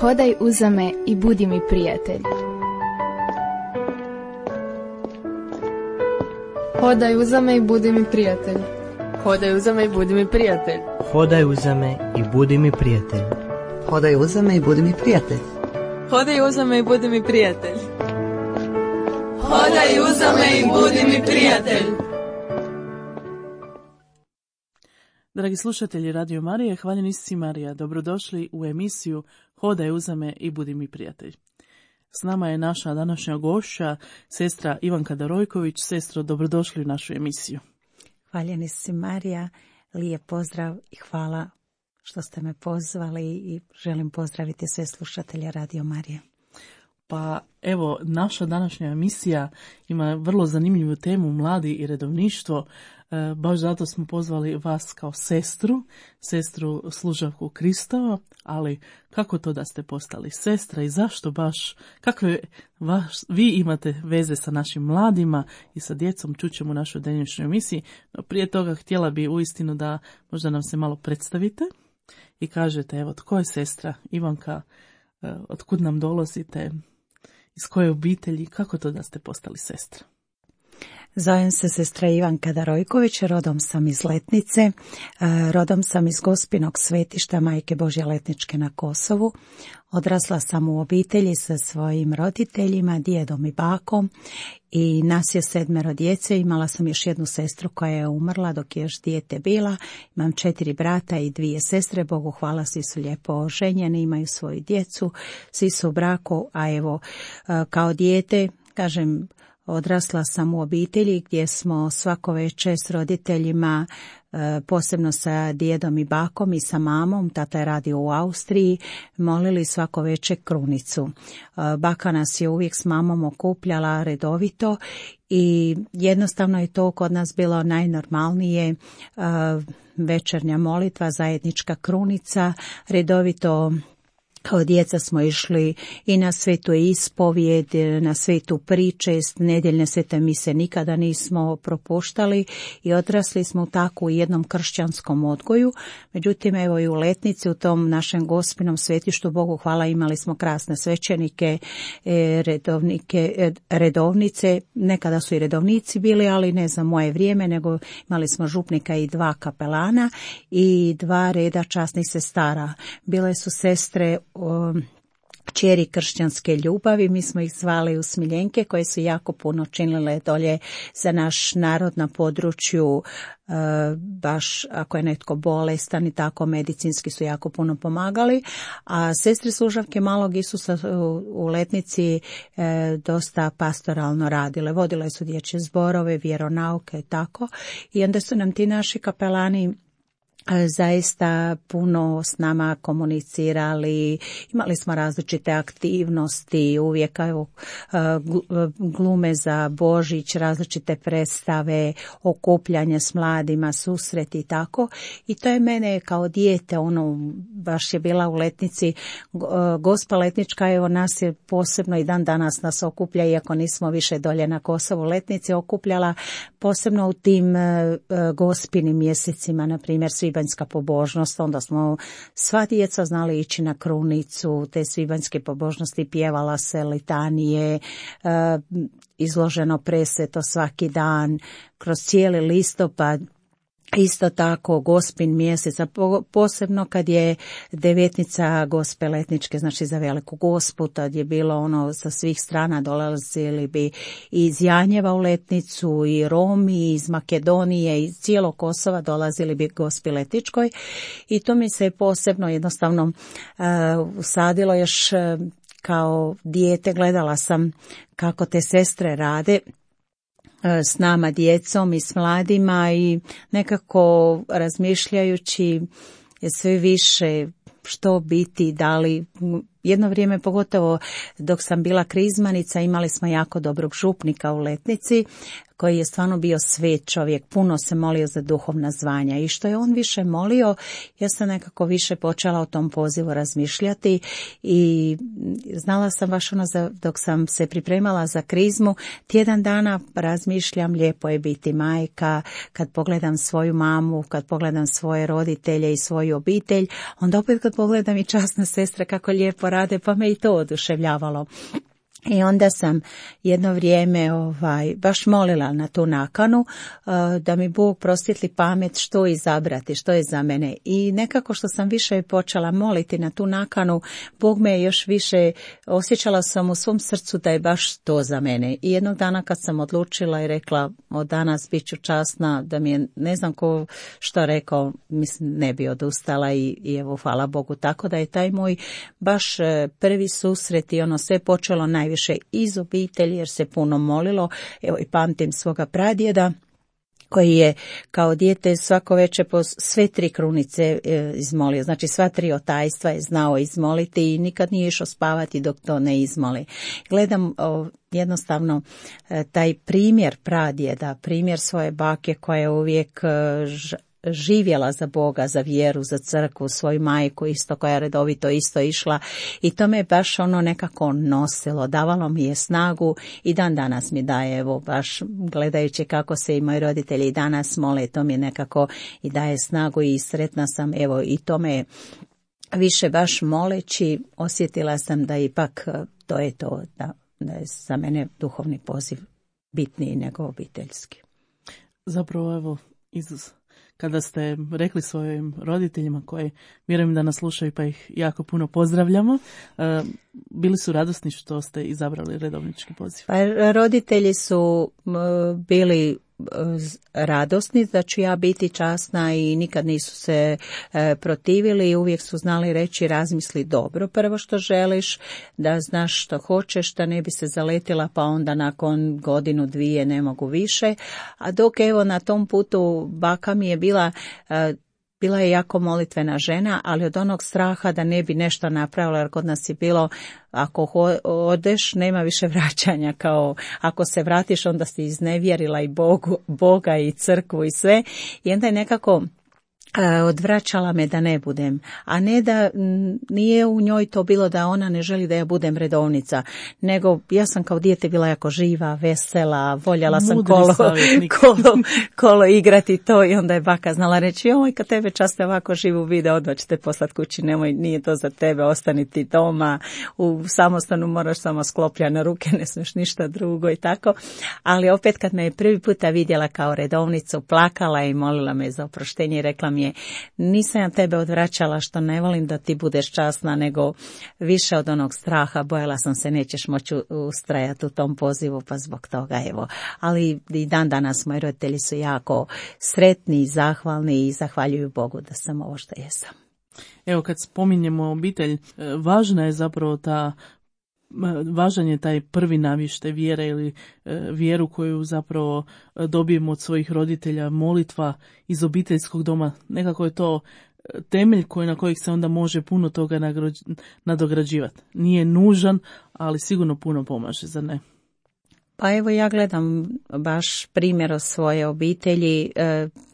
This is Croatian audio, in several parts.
Hodaj uza me i budi mi prijatelj. Hodaj uza me i budi mi prijatelj. Hodaj uza me i budi mi prijatelj. Hodaj uza me i budi mi prijatelj. Hodaj uza me i budi mi prijatelj. Hodaj uza me i budi mi prijatelj. Hodaj uza me i budi mi prijatelj. Dragi slušatelji Radio Marije, hvaljeni si Marija, dobrodošli u emisiju Hodaj uza me i budi mi prijatelj. S nama je naša današnja gošća, sestra Ivanka Darojković. Sestro, dobrodošli u našu emisiju. Hvaljeni si Marija, lijep pozdrav i hvala što ste me pozvali i želim pozdraviti sve slušatelje Radio Marije. Pa evo, naša današnja emisija ima vrlo zanimljivu temu, mladi i redovništvo. Baš zato smo pozvali vas kao sestru služavku Kristova, ali kako to da ste postali sestra i zašto baš, kakve vi imate veze sa našim mladima i sa djecom, čućemo u našoj današnjoj emisiji. No prije toga htjela bi uistinu da možda nam se malo predstavite i kažete, evo, tko je sestra Ivanka, otkud nam dolazite, iz koje obitelji, kako to da ste postali sestra? Zovem se sestra Ivanka Darojković, rodom sam iz Letnice, rodom sam iz Gospinog svetišta Majke Božje Letničke na Kosovu. Odrasla sam u obitelji sa svojim roditeljima, djedom i bakom i nas je 7 djece. Imala sam još jednu sestru koja je umrla dok je još dijete bila. Imam 4 brata i 2 sestre, Bogu hvala, svi su lijepo oženjeni, imaju svoju djecu, svi su u braku, a evo kao dijete, kažem, odrasla sam u obitelji gdje smo svako večer s roditeljima, posebno sa djedom i bakom i sa mamom, tata je radio u Austriji, molili svako večer krunicu. Baka nas je uvijek s mamom okupljala redovito i jednostavno je to kod nas bilo najnormalnije, večernja molitva, zajednička krunica, redovito. Kao djeca smo išli i na svetu ispovijed, na svetu pričest, nedjeljne svete mise nikada nismo propuštali i odrasli smo tako u jednom kršćanskom odgoju. Međutim, evo i u Letnici, u tom našem Gospinom svetištu, Bogu hvala, imali smo krasne svećenike, redovnice, nekada su i redovnici bili, ali ne za moje vrijeme, nego imali smo župnika i 2 kapelana i 2 reda časnih sestara. Bile su sestre kćeri kršćanske ljubavi, mi smo ih zvali usmiljenke, koje su jako puno činile dolje za naš narod na području, baš ako je netko bolestan i tako, medicinski su jako puno pomagali, a sestre služavke Malog Isusa u Letnici dosta pastoralno radile, vodile su dječje zborove, vjeronauke i tako, i onda su nam ti naši kapelani zaista puno s nama komunicirali, imali smo različite aktivnosti, uvijek glume za Božić, različite predstave, okupljanje s mladima, susreti i tako. I to je mene kao dijete, baš je bila u Letnici, Gospa Letnička, evo nas je posebno i dan danas nas okuplja, iako nismo više dolje na Kosovu, Letnici okupljala, posebno u tim gospinim mjesecima, na primjer svibanjska pobožnost, onda smo sva djeca znali ići na krunicu, te svibanjske pobožnosti, pjevala se litanije, izloženo presveto svaki dan, kroz cijeli listopad. Isto tako Gospin mjesec, posebno kad je devetnica Gospe Letničke, znači za Veliku Gospu, tad je bilo sa svih strana, dolazili bi iz Janjeva u Letnicu, i Romi, iz Makedonije, iz cijelog Kosova dolazili bi Gospi Letničkoj i to mi se posebno jednostavno usadilo još kao dijete, gledala sam kako te sestre rade s nama djecom i s mladima i nekako razmišljajući sve više što biti, da li jedno vrijeme, pogotovo dok sam bila krizmanica, imali smo jako dobrog župnika u Letnici koji je stvarno bio svet čovjek, puno se molio za duhovna zvanja i što je on više molio, ja sam nekako više počela o tom pozivu razmišljati i znala sam baš dok sam se pripremala za krizmu, tjedan dana razmišljam, lijepo je biti majka, kad pogledam svoju mamu, kad pogledam svoje roditelje i svoju obitelj, onda opet kad pogledam i časne sestre kako lijepo rade, pa me i to oduševljavalo. I onda sam jedno vrijeme baš molila na tu nakanu da mi Bog prosvjetli pamet što izabrati, što je za mene. I nekako što sam više počela moliti na tu nakanu, Bog me je još više, osjećala sam u svom srcu da je baš to za mene. I jednog dana kad sam odlučila i rekla od danas bit ću časna, da mi je ne znam ko što rekao, mislim ne bi odustala i evo hvala Bogu. Tako da je taj moj baš prvi susret i ono sve počelo najviše iz obitelji jer se puno molilo. Evo i pamtim svoga pradjeda koji je kao dijete svako večer po sve 3 krunice izmolio. Znači sva 3 otajstva je znao izmoliti i nikad nije išao spavati dok to ne izmoli. Gledam jednostavno taj primjer pradjeda, primjer svoje bake koja je uvijek živjela za Boga, za vjeru, za crkvu, svoju majku isto koja je redovito isto išla i to me baš ono nekako nosilo, davalo mi je snagu i dan danas mi daje, evo baš gledajući kako se i moji roditelji i danas mole, to mi nekako i daje snagu i sretna sam, evo i to me više baš moleći osjetila sam da ipak to je to, da je za mene duhovni poziv bitniji nego obiteljski. Zapravo evo kada ste rekli svojim roditeljima koji vjerujem da nas slušaju pa ih jako puno pozdravljamo, bili su radosni što ste izabrali redovnički poziv? Pa roditelji su bili radosni da ću ja biti časna i nikad nisu se protivili i uvijek su znali reći razmisli dobro prvo što želiš, da znaš što hoćeš, da ne bi se zaletila pa onda nakon 1-2 ne mogu više. A dok evo na tom putu baka mi je bila je jako molitvena žena, ali od onog straha da ne bi nešto napravila, jer kod nas je bilo ako odeš nema više vraćanja, kao ako se vratiš onda si iznevjerila i Boga i crkvu i sve. I onda je nekako odvraćala me da ne budem, a ne da nije u njoj to bilo da ona ne želi da ja budem redovnica, nego ja sam kao dijete bila jako živa, vesela, voljela sam kolo igrati to i onda je baka znala reći joj kad tebe často ovako živu vide odmah ćete poslati kući, nemoj, nije to za tebe, ostani ti doma, u samostanu moraš samo sklopljane ruke, ne smiješ ništa drugo i tako, ali opet kad me je prvi puta vidjela kao redovnicu, plakala i molila me za oproštenje i rekla mi je, nisam ja tebe odvraćala što ne volim da ti budeš časna, nego više od onog straha, bojala sam se nećeš moći ustrajati u tom pozivu, pa zbog toga evo. Ali i dan danas moji roditelji su jako sretni i zahvalni i zahvaljuju Bogu da sam ovo što jesam. Evo kad spominjemo obitelj, važna je zapravo važan je taj prvi navještaj vjere ili vjeru koju zapravo dobijemo od svojih roditelja, molitva iz obiteljskog doma. Nekako je to temelj na kojeg se onda može puno toga nadograđivati. Nije nužan, ali sigurno puno pomaže, zar ne? Pa evo ja gledam baš primjer od svoje obitelji,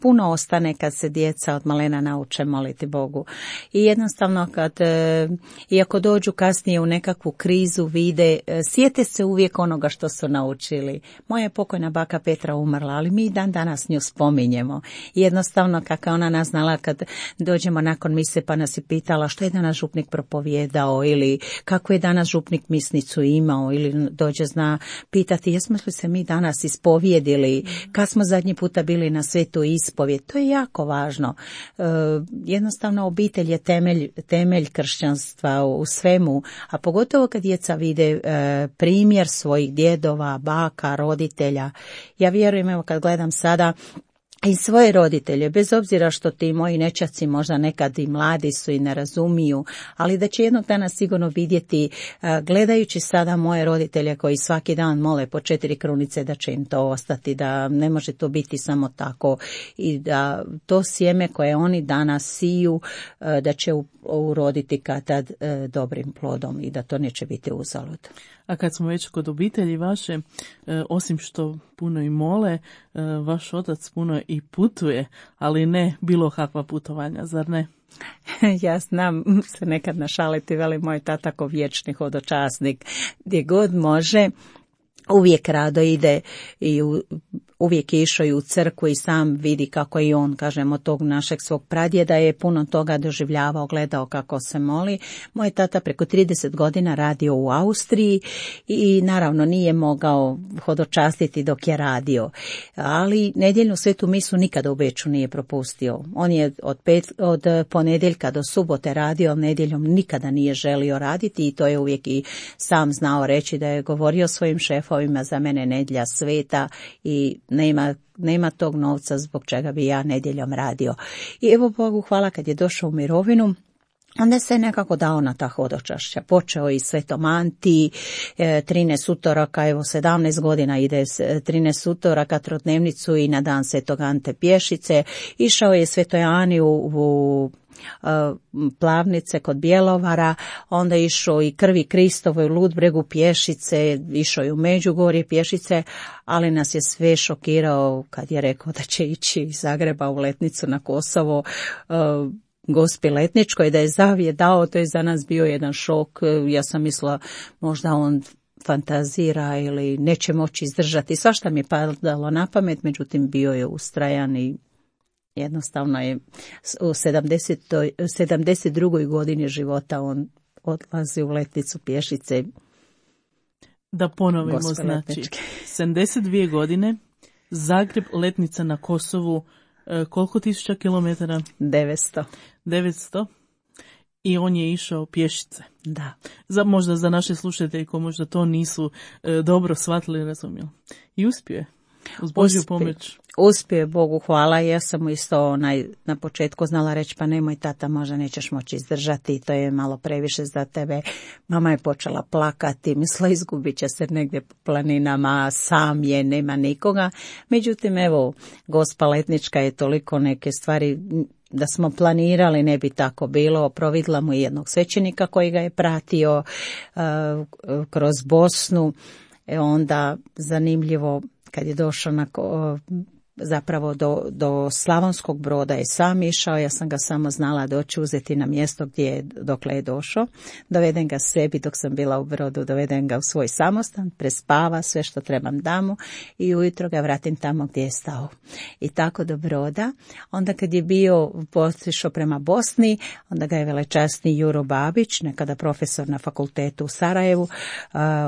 puno ostane kad se djeca od malena nauče moliti Bogu. I jednostavno iako dođu kasnije u nekakvu krizu, vide, sjete se uvijek onoga što su naučili. Moja je pokojna baka Petra umrla, ali mi dan danas nju spominjemo. I jednostavno kako ona nas znala kad dođemo nakon mise pa nas je pitala što je danas župnik propovijedao ili kako je danas župnik misnicu imao ili dođe zna pitati jesmo li se mi danas ispovjedili, kad smo zadnji puta bili na svetu ispovjed, to je jako važno. Jednostavno obitelj je temelj kršćanstva u svemu, a pogotovo kad djeca vide primjer svojih djedova, baka, roditelja. Ja vjerujem, evo kad gledam sada i svoje roditelje, bez obzira što ti moji nećaci možda nekad i mladi su i ne razumiju, ali da će jednog dana sigurno vidjeti, gledajući sada moje roditelje koji svaki dan mole po 4 krunice, da će im to ostati, da ne može to biti samo tako i da to sjeme koje oni danas siju, da će uroditi kad dobrim plodom i da to neće biti uzalud. A kad smo već kod obitelji vaše, osim što puno i mole, vaš otac puno i putuje, ali ne bilo kakva putovanja, zar ne? Ja znam se nekad našaliti, veli moj tata ko vječni hodočasnik, gdje god može, uvijek rado ide i uvijek je išao i u crkvu i sam vidi kako i on, kažem, od tog našeg svog pradjeda je puno toga doživljavao, gledao kako se moli. Moj tata preko 30 godina radio u Austriji i naravno nije mogao hodočastiti dok je radio, ali nedjeljnu svetu misu nikada u Beču nije propustio. On je od ponedjeljka do subote radio, nedjeljom nikada nije želio raditi i to je uvijek i sam znao reći, da je govorio svojim šefovima, za mene nedjelja sveta i nema tog novca zbog čega bi ja nedjeljom radio. I evo Bogu hvala, kad je došao u mirovinu, onda se nekako dao na ta hodočašća. Počeo i Svetom Anti, 13 utoraka, evo 17 godina ide 13 utoraka trodnevnicu i na dan Svetog Ante pješice. Išao je Svetoj Ani u Plavnice kod Bjelovara, onda išao i Krvi Kristovoj u Ludbregu pješice, išao i u Međugorje pješice, ali nas je sve šokirao kad je rekao da će ići iz Zagreba u letnicu na Kosovo, Gospi Letničkoj, da je zavije dao. To je za nas bio jedan šok. Ja sam mislila možda on fantazira ili neće moći izdržati. Svašta mi je padalo na pamet, međutim bio je ustrajan i jednostavno je u 72. godini života on odlazi u letnicu pješice. Da ponovimo, znači 72 godine, Zagreb, letnica na Kosovu, koliko tisuća kilometara? 900. I on je išao pješice. Da. Možda za naše slušatelje ko možda to nisu dobro shvatili, razumjeli. I uspio je. Uz Božju pomoć. Uspio je, Bogu hvala. Ja sam mu isto na početku znala reći, pa nemoj tata, možda nećeš moći izdržati, to je malo previše za tebe. Mama je počela plakati, mislila izgubit će se negdje po planinama, sam je, nema nikoga. Međutim, evo, Gospa Letnička je toliko neke stvari, da smo planirali ne bi tako bilo. Providila mu jednog svećenika koji ga je pratio kroz Bosnu. Onda zanimljivo, kad je došao zapravo do Slavonskog Broda je sam išao, ja sam ga samo znala doći uzeti na mjesto dokle je došao, doveden ga sebi dok sam bila u Brodu, doveden ga u svoj samostan, prespava, sve što trebam damo i ujutro ga vratim tamo gdje je stao. I tako do Broda. Onda kad je bio otišao prema Bosni, onda ga je velečasni Juro Babić, nekada profesor na fakultetu u Sarajevu,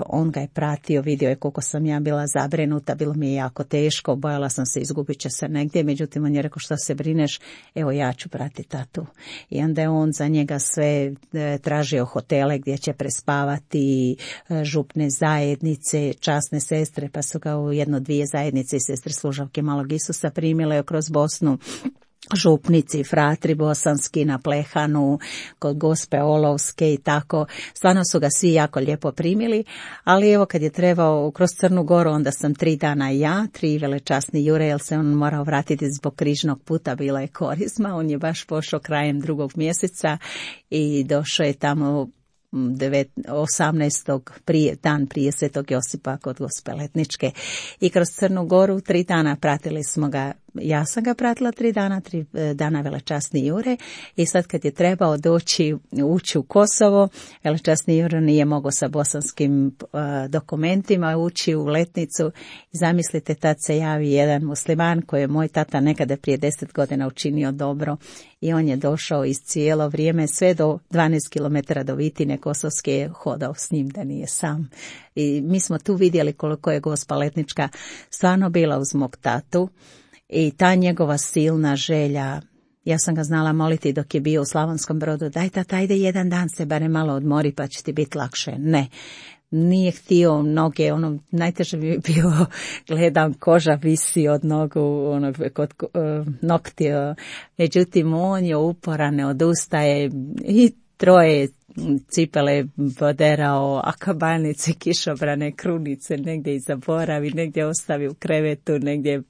on ga je pratio, vidio je koliko sam ja bila zabrinuta, bilo mi je jako teško, bojala sam se izgubit će se negdje, međutim on je rekao, što se brineš, evo ja ću pratiti tatu. I onda je on za njega sve tražio hotele gdje će prespavati, župne zajednice, časne sestre, pa su ga u 1-2 zajednice i sestre služavke Malog Isusa primile kroz Bosnu. Župnici, fratri bosanski na Plehanu, kod Gospe Olovske i tako. Stvarno su ga svi jako lijepo primili, ali evo kad je trebao kroz Crnu Goru, onda sam 3 dana ja, 3 velečasni Jure, jer se on morao vratiti zbog križnog puta, bila je korizma. On je baš pošao krajem 2. mjeseca i došao je tamo 18. dan prije Svetog Josipa kod Gospe Letničke. I kroz Crnu Goru 3 dana pratili smo ga. Ja sam ga pratila 3 dana, 3 dana velečasni Jure, i sad kad je trebao ući u Kosovo, velečasni Jure nije mogao sa bosanskim dokumentima ući u letnicu. Zamislite, tad se javi jedan musliman koji je moj tata nekada prije 10 godina učinio dobro i on je došao iz cijelo vrijeme sve do 12 km do Vitine Kosovske je hodao s njim, da nije sam. I mi smo tu vidjeli koliko je Gospa Letnička stvarno bila uz mog tatu. I ta njegova silna želja, ja sam ga znala moliti dok je bio u Slavonskom Brodu, daj tata, ajde jedan dan se barem malo odmori pa će ti biti lakše. Ne, nije htio noge, najteže bi bilo, gledam, koža visi od nogu, kod nokti, međutim on je uporan, ne odustaje i 3 cipele poderao, akabalnice, kišobrane, krunice, negdje i zaboravi, negdje ostavi u krevetu, negdje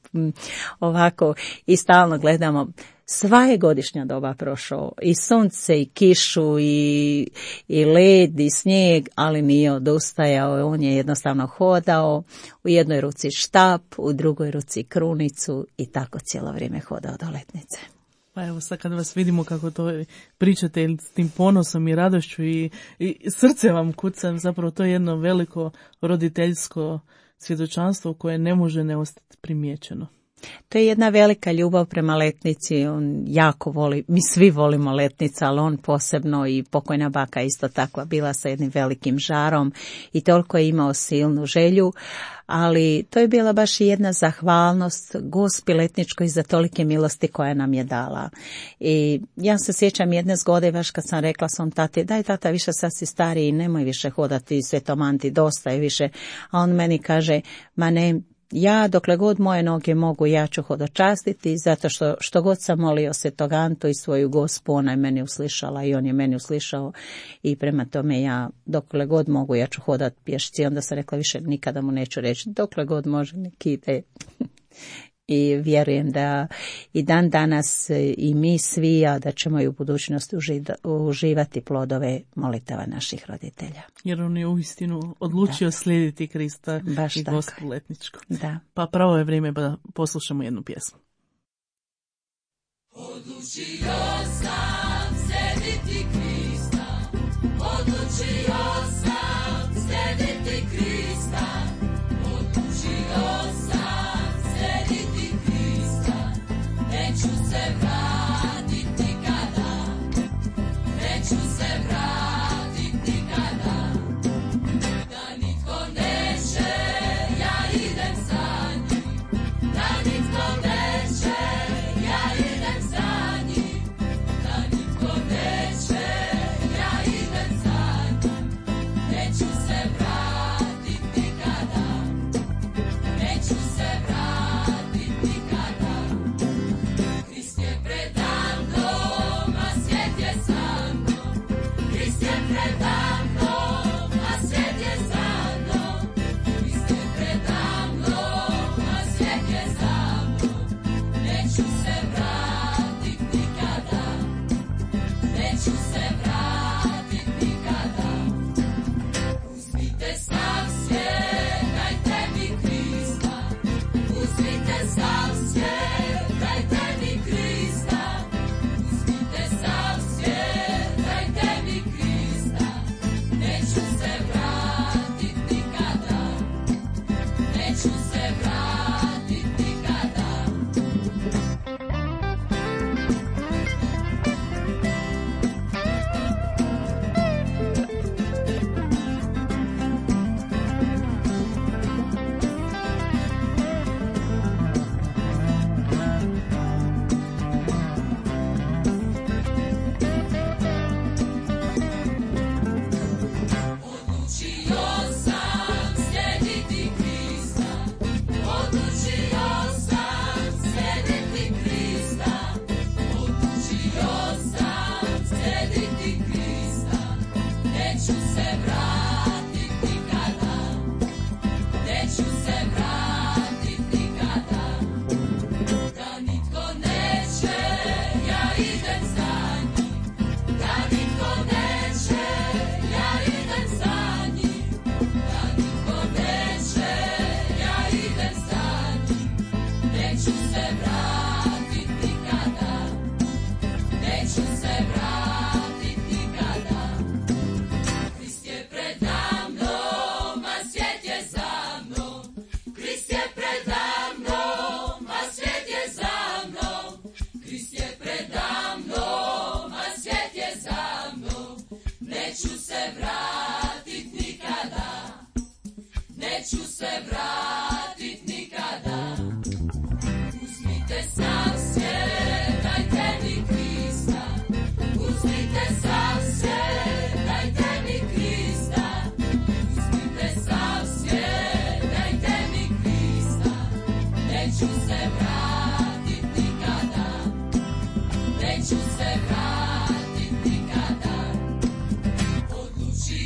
ovako, i stalno gledamo. Sva je godišnja doba prošao, i sunce, i kišu, i led, i snijeg, ali nije odustajao, on je jednostavno hodao, u jednoj ruci štap, u drugoj ruci krunicu i tako cijelo vrijeme hodao do letnice. Pa evo sad kad vas vidimo kako to pričate s tim ponosom i radošću i srce vam kuca, zapravo to je jedno veliko roditeljsko svjedočanstvo koje ne može ne ostati primijećeno. To je jedna velika ljubav prema letnici, on jako voli, mi svi volimo letnica, ali on posebno i pokojna baka isto takva bila sa jednim velikim žarom i toliko je imao silnu želju, ali to je bila baš i jedna zahvalnost Gospi Letničkoj za tolike milosti koje nam je dala. I ja se sjećam jedne zgode baš kad sam rekla svom tati, daj tata, više sad si stariji, nemoj više hodati Svetom Anti, dosta je više, a on meni kaže, ma ne, ja dokle god moje noge mogu, ja ću hodočastiti, zato što god sam molio Svetog Antu i svoju Gospu, ona je meni uslišala i on je meni uslišao i prema tome ja dokle god mogu, ja ću hodat pješci. Onda sam rekla, više nikada mu neću reći, dokle god može, nek ide. I vjerujem da i dan danas i mi svi, a da ćemo i u budućnosti uživati plodove molitava naših roditelja. Jer on je uistinu odlučio slijediti Krista baš i tako. Gospu Letničku. Da. Pa pravo je vrijeme da poslušamo jednu pjesmu. Odlučio sam slijediti Krista, odlučio sam slijediti Krista, odlučio sam slijediti Krista, neću se vratiti nikada, neću se vratiti nikada, da nitko neće, ja idem za njim, da nitko neće, ja idem za njim, da nitko neće, ja idem za njim, neću se vratiti nikada, neću se vratiti nikada. Krist je predamnom, a svijet je za mnom, Krist je predamnom, a svijet je za mnom, Krist je predamnom, a svijet je za mnom, neću se vratiti nikada, neću se vratiti nikada. Uzmite sav svijet, dajte mi Krista, uzmite sav svijet, dajte mi Krista, uzmite sav svijet, dajte mi Krista, neću se vratiti nikada, neću se vratiti nikada. Odlučio sam slijediti Krista, odlučio sam slijediti Krista, odlučio sam slijediti Krista, neću se vratiti nikada, neću se vratiti nikada, da nitko neće, ja idem za njim, da nitko neće, ja idem za njim, da nitko neće, ja idem za njim, neću se vratiti nikada, neću se vratiti nikada. Krist je predamnom, a svijet je za mnom, Krist je predamnom, a svijet je za mnom, Krist je predamnom, a svijet je za mnom, neću se vratiti nikada, neću se vratiti nikada. Uzmite sav svijet, dajte mi Krista, uzmite sav svijet, dajte mi Krista, uzmite sav svijet, dajte mi Krista, neću se vratiti nikada, neću se vratiti nikada. Odlučio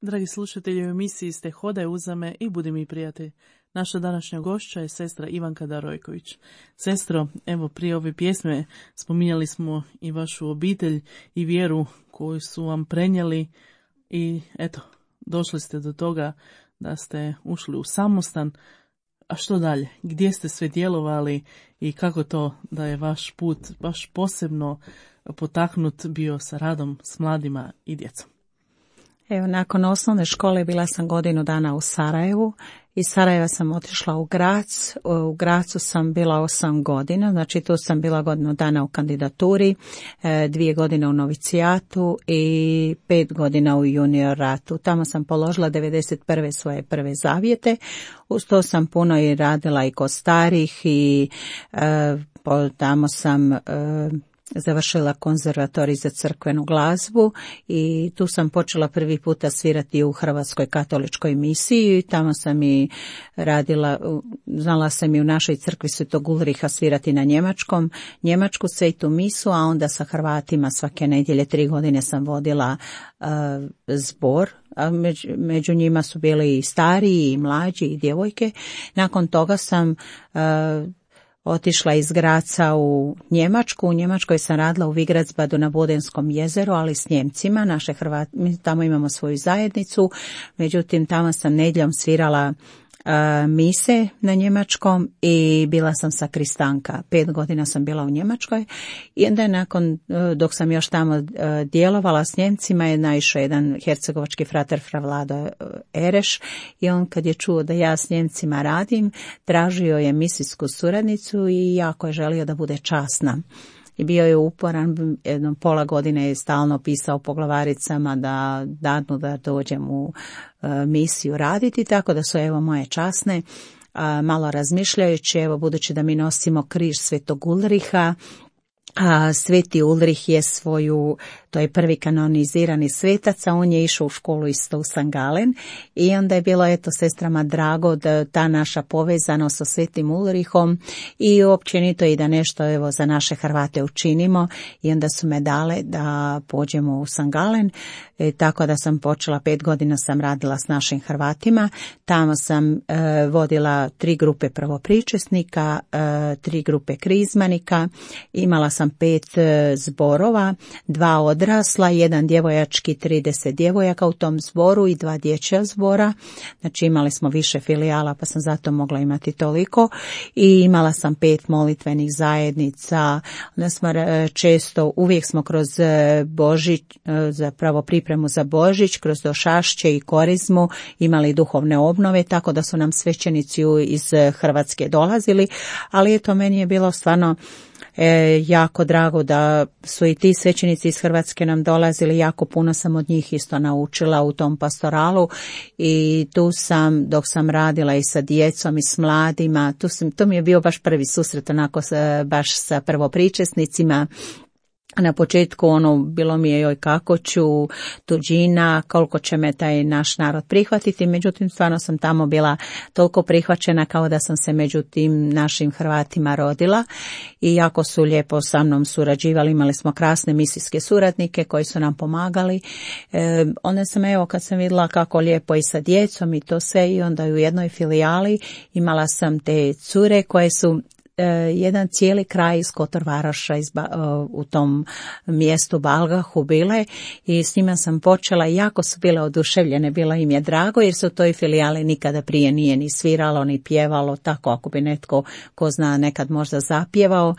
Dragi slušatelji, u emisiji ste Hodaj uzame i budi mi prijatelj. Naša današnja gošća je sestra Ivanka Darojković. Sestro, evo prije ove pjesme spominjali smo i vašu obitelj i vjeru koju su vam prenijeli i eto, došli ste do toga da ste ušli u samostan. A što dalje? Gdje ste sve djelovali i kako to da je vaš put baš posebno potaknut bio sa radom s mladima i djecom? Evo, nakon osnovne škole bila sam godinu dana u Sarajevu. Iz Sarajeva sam otišla u Grac. U Gracu sam bila 8 godina, znači tu sam bila godinu dana u kandidaturi, 2 godine u novicijatu i 5 godina u junior ratu. Tamo sam položila 91. svoje prve zavjete. Uz to sam puno i radila i kod starih i tamo sam završila konzervatorij za crkvenu glazbu i tu sam počela prvi puta svirati u Hrvatskoj katoličkoj misiji. Tamo sam i radila, znala sam i u našoj crkvi Svetog Ulriha svirati na njemačku svetu misu, a onda sa Hrvatima svake nedjelje 3 godine sam vodila zbor. A među njima su bili i stariji i mlađi i djevojke. Nakon toga sam otišla iz Graca u Njemačku. U Njemačkoj sam radila u Vigratsbadu na Bodenskom jezeru, ali s Njemcima. Naše Hrvati, mi tamo imamo svoju zajednicu. Međutim, tamo sam nedjeljom svirala mise na njemačkom i bila sam sakristanka. 5 godina sam bila u Njemačkoj i onda nakon, dok sam još tamo djelovala s Njemcima, je naišao jedan hercegovački frater fra Vlado Ereš i on kad je čuo da ja s Njemcima radim, tražio je misijsku suradnicu i jako je želio da bude časna. I bio je uporan, jedno pola godine je stalno pisao po glavaricama da dadnu da dođem u misiju raditi, tako da su evo moje časne, malo razmišljajući, evo budući da mi nosimo križ Svetog Ulriha, a Sveti Ulrih je to je prvi kanonizirani svetac, a on je išao u školu isto u St. Gallen i onda je bilo eto sestrama drago da ta naša povezanost sa Svetim Ulrihom i općenito i da nešto evo za naše Hrvate učinimo i onda su me dale da pođemo u St. Gallen, tako da sam počela 5 godina sam radila s našim Hrvatima. Tamo sam vodila 3 grupe prvopričesnika, 3 grupe krizmanika, imala sam 5 zborova, 2 odrasla, 1 djevojački, 30 djevojaka u tom zboru i 2 dječja zbora. Znači imali smo više filijala pa sam zato mogla imati toliko i imala sam 5 molitvenih zajednica. Onda smo često, uvijek smo kroz Božić, zapravo pripremu za Božić, kroz Došašće i Korizmu imali duhovne obnove, tako da su nam svećenici iz Hrvatske dolazili, ali eto meni je bilo stvarno jako drago da su i ti svećenici iz Hrvatske nam dolazili, jako puno sam od njih isto naučila u tom pastoralu i tu sam, dok sam radila i sa djecom i s mladima, to mi je bio baš prvi susret onako baš sa prvopričesnicima. Na početku bilo mi je joj kako ću, tuđina, koliko će me taj naš narod prihvatiti, međutim stvarno sam tamo bila toliko prihvaćena kao da sam se među tim našim Hrvatima rodila i jako su lijepo sa mnom surađivali, imali smo krasne misijske suradnike koji su nam pomagali. Onda sam evo kad sam vidjela kako lijepo i sa djecom i to sve i onda u jednoj filijali imala sam te cure koje su jedan cijeli kraj iz Kotor-Varoša u tom mjestu Balgahu bile i s njima sam počela i jako su bile oduševljene, bilo im je drago jer se u toj filijali nikada prije nije ni sviralo ni pjevalo, tako ako bi netko ko zna nekad možda zapjevao.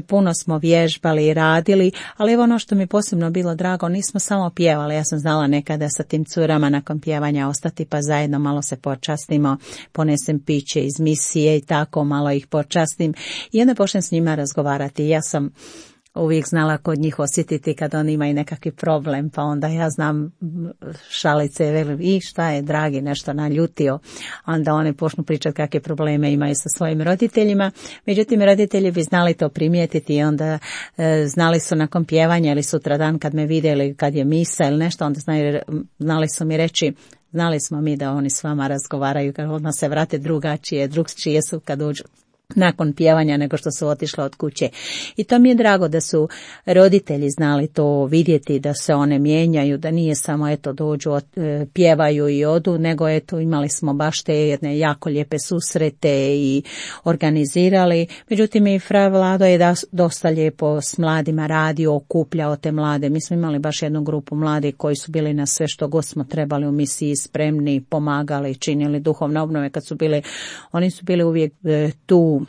Puno smo vježbali i radili, ali evo ono što mi posebno bilo drago, nismo samo pjevali, ja sam znala nekada sa tim curama nakon pjevanja ostati pa zajedno malo se počastimo, ponesem piće iz misije i tako malo ih počastim. I onda počnem s njima razgovarati. Ja sam uvijek znala kod njih osjetiti kad oni imaju nekakvi problem, pa onda ja znam šalice, velim, i šta je dragi nešto naljutio, onda oni počnu pričati kakve probleme imaju sa svojim roditeljima. Međutim, roditelji bi znali to primijetiti i onda znali su nakon pjevanja ili sutradan kad me vidjeli kad je misa ili nešto, onda znali su mi reći, znali smo mi da oni s vama razgovaraju, kad odmah se vrate drugačije, drugčije su kad uđu nakon pjevanja nego što su otišle od kuće. I to mi je drago da su roditelji znali to vidjeti, da se one mijenjaju, da nije samo eto dođu, pjevaju i odu, nego eto imali smo baš te jedne jako lijepe susrete i organizirali. Međutim i fra Vlado je dosta lijepo s mladima radio, okupljao te mlade. Mi smo imali baš jednu grupu mladih koji su bili na sve što god smo trebali u misiji spremni, pomagali, činili duhovne obnove kad su bili, oni su bili uvijek tu.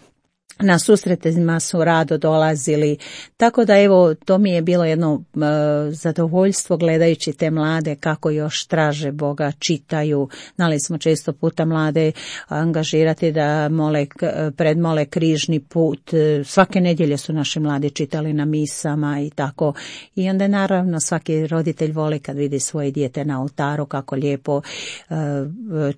Na susretima su rado dolazili, tako da evo to mi je bilo jedno zadovoljstvo gledajući te mlade kako još traže Boga, čitaju. Znali smo često puta mlade angažirati da predmole križni put. Svake nedjelje su naši mladi čitali na misama i tako. I onda naravno svaki roditelj voli kad vidi svoje dijete na oltaru kako lijepo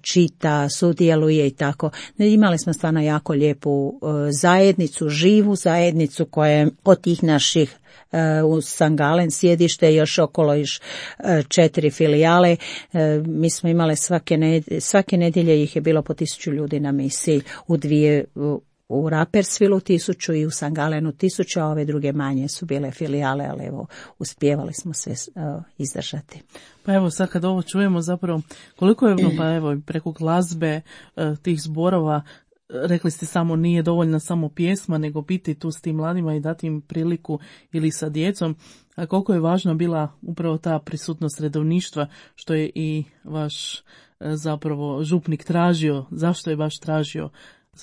čita, sudjeluje i tako. Imali smo stvarno jako lijepu zajednicu, živu zajednicu koja je od tih naših u Sangalen sjedište, još okolo još 4 filijale. Mi smo imali svake nedjelje ih je bilo po 1000 ljudi na misiji, u Rapperswilu 1000 i u Sangalenu 1000, a ove druge manje su bile filijale, ali evo uspijevali smo sve izdržati. Pa evo sad kad ovo čujemo zapravo koliko je pa evo preko glazbe tih zborova. Rekli ste samo nije dovoljna samo pjesma, nego biti tu s tim mladima i dati im priliku ili sa djecom. A koliko je važna bila upravo ta prisutnost redovništva, što je i vaš zapravo župnik tražio, zašto je baš tražio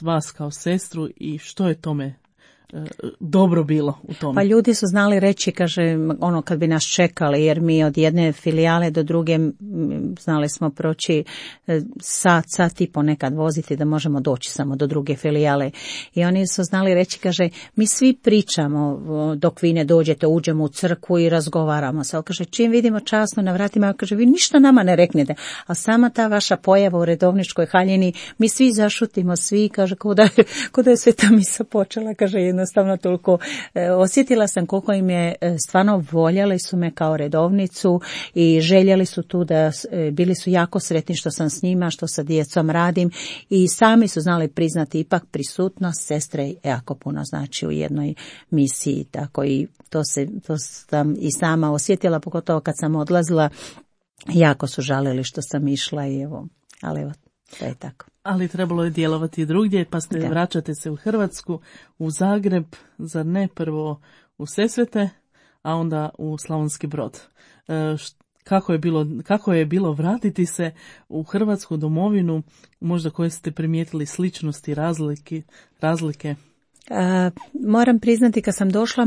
vas kao sestru i što je tome dobro bilo u tome? Pa ljudi su znali reći, kaže, ono kad bi nas čekali, jer mi od jedne filijale do druge znali smo proći sat i ponekad voziti da možemo doći samo do druge filijale. I oni su znali reći, kaže, mi svi pričamo dok vi ne dođete, uđemo u crkvu i razgovaramo se. Ali kaže, čim vidimo časno na vratima, kaže, vi ništa nama ne reknete. A sama ta vaša pojava u redovničkoj haljini, mi svi zašutimo, svi, kaže, ko da je sveta misa počela, kaže, jednostavno toliko osjetila sam koliko im je stvarno voljeli su me kao redovnicu i željeli su tu da bili su jako sretni što sam s njima, što sa djecom radim i sami su znali priznati ipak prisutnost sestre jako puno znači u jednoj misiji, tako i to sam i sama osjetila, pogotovo kad sam odlazila, jako su žalili što sam išla i ali evo, to je tako. Ali trebalo je djelovati drugdje, pa vraćate se u Hrvatsku, u Zagreb, zar ne prvo u Sesvete, a onda u Slavonski Brod. Kako je bilo vratiti se u Hrvatsku domovinu, možda koje ste primijetili sličnosti, razlike? Moram priznati, kad sam došla,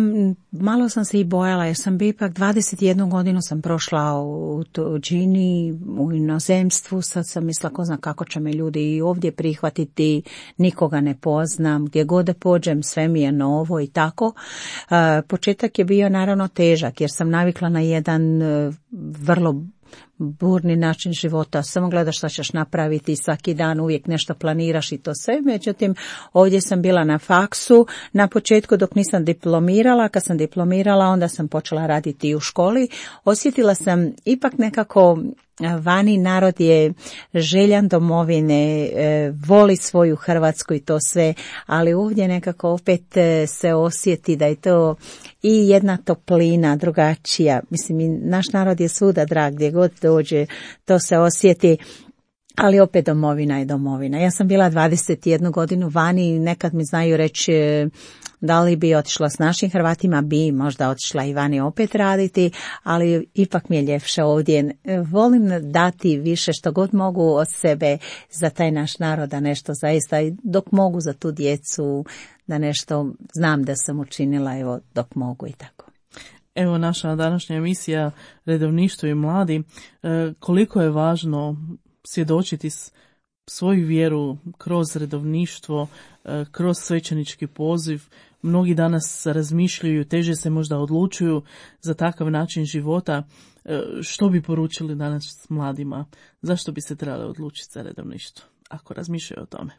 malo sam se i bojala, jer sam ipak 21 godinu sam prošla u tuđini, u inozemstvu, sad sam mislila ko zna kako će me ljudi i ovdje prihvatiti, nikoga ne poznam, gdje god da pođem sve mi je novo i tako. Početak je bio naravno težak, jer sam navikla na jedan vrlo burni način života, samo gledaš šta ćeš napraviti, svaki dan uvijek nešto planiraš i to sve. Međutim, ovdje sam bila na faksu na početku dok nisam diplomirala. Kad sam diplomirala, onda sam počela raditi i u školi. Osjetila sam ipak nekako vani narod je željan domovine, voli svoju Hrvatsku i to sve, ali ovdje nekako opet se osjeti da je to i jedna toplina drugačija. Mislim, naš narod je svuda drag, gdje god dođe, to se osjeti. Ali opet domovina je domovina. Ja sam bila 21 godinu vani i nekad mi znaju reći da li bi otišla s našim Hrvatima, bi možda otišla i vani opet raditi, ali ipak mi je ljepše ovdje. Volim dati više što god mogu od sebe za taj naš narod, da nešto zaista, dok mogu za tu djecu, da nešto znam da sam učinila, evo, dok mogu i tako. Evo naša današnja emisija Redovništvo i mladi, koliko je važno svjedočiti svoju vjeru kroz redovništvo, kroz svećenički poziv. Mnogi danas razmišljaju, teže se možda odlučuju za takav način života. Što bi poručili danas mladima? Zašto bi se trebali odlučiti za redovništvo? ako razmišljaju o tome?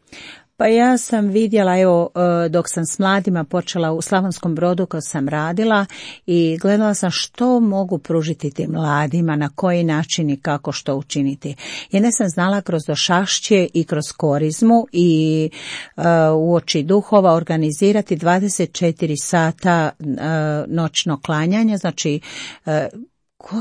Pa ja sam vidjela, evo, dok sam s mladima počela u Slavonskom Brodu kad sam radila i gledala sam što mogu pružiti tim mladima, na koji način i kako što učiniti. Jer ne sam znala kroz došašće i kroz korizmu i uoči duhova organizirati 24 sata noćno klanjanje, znači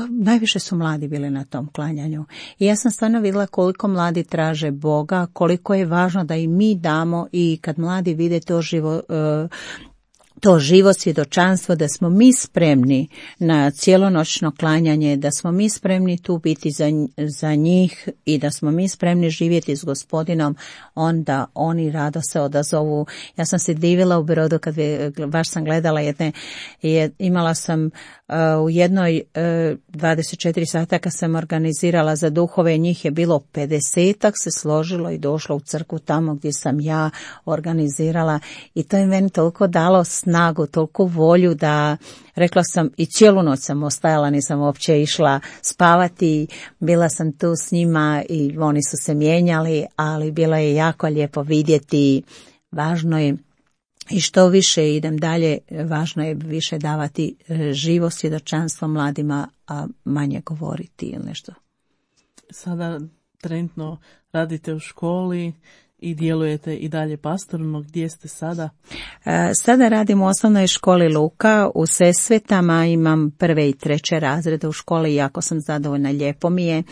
najviše su mladi bili na tom klanjanju. I ja sam stvarno vidjela koliko mladi traže Boga, koliko je važno da i mi damo i kad mladi vide to živo svjedočanstvo, da smo mi spremni na cijelonoćno klanjanje, da smo mi spremni tu biti za njih i da smo mi spremni živjeti s Gospodinom, onda oni rado se odazovu. Ja sam se divila u Brodu kad baš sam gledala imala sam u jednoj 24 sata kad sam organizirala za duhove, njih je bilo 50-ak se složilo i došlo u crkvu tamo gdje sam ja organizirala i to je meni toliko dalo snagu, toliko volju da rekla sam i cijelu noć sam ostajala, nisam uopće išla spavati, bila sam tu s njima i oni su se mijenjali, ali bilo je jako lijepo vidjeti, važno je i što više idem dalje, važno je više davati živo svjedočanstvo mladima, a manje govoriti ili nešto. Sada trenutno radite u školi i djelujete i dalje pastorno. Gdje ste sada? Sada radim u osnovnoj školi Luka u Sesvetama, imam 1. i 3. razrede u školi i jako sam zadovoljna, lijepo mi je.